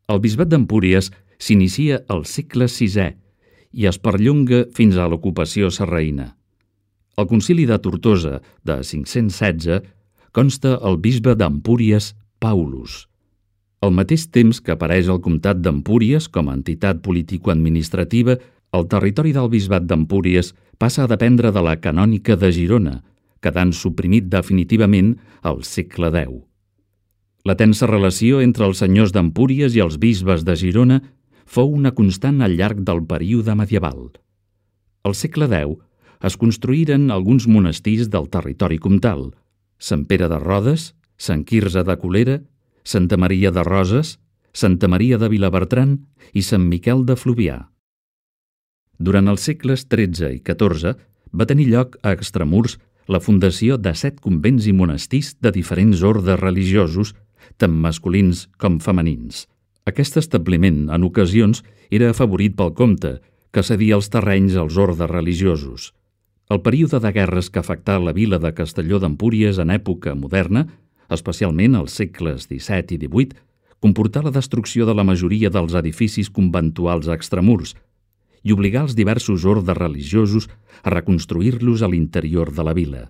El bisbat d'Empúries s'inicia al segle VI i es perllonga fins a l'ocupació sarraïna. Al concili de Tortosa de 516 consta el bisbe d'Empúries Paulus. Al mateix temps que apareix el comtat d'Empúries com a entitat político-administrativa, el territori del bisbat d'Empúries passa a dependre de la canònica de Girona, quedant suprimit definitivament al segle X. La tensa relació entre els senyors d'Empúries i els bisbes de Girona fou una constant al llarg del període medieval. Al segle X es construïren alguns monestirs del territori comtal: Sant Pere de Rodes, Sant Quirze de Colera, Santa Maria de Roses, Santa Maria de Vilabertran i Sant Miquel de Fluvià. Durant els segles XIII i XIV va tenir lloc a Extramurs la fundació de 7 convents i monestirs de diferents ordes religiosos, tant masculins com femenins. Aquest establiment, en ocasions, era afavorit pel comte, que cedia els terrenys als ordes religiosos. El període de guerres que afectà la vila de Castelló d'Empúries en època moderna, especialment als segles XVII i XVIII, comportà la destrucció de la majoria dels edificis conventuals a Extramurs i obligà els diversos ordes religiosos a reconstruir-los a l'interior de la vila.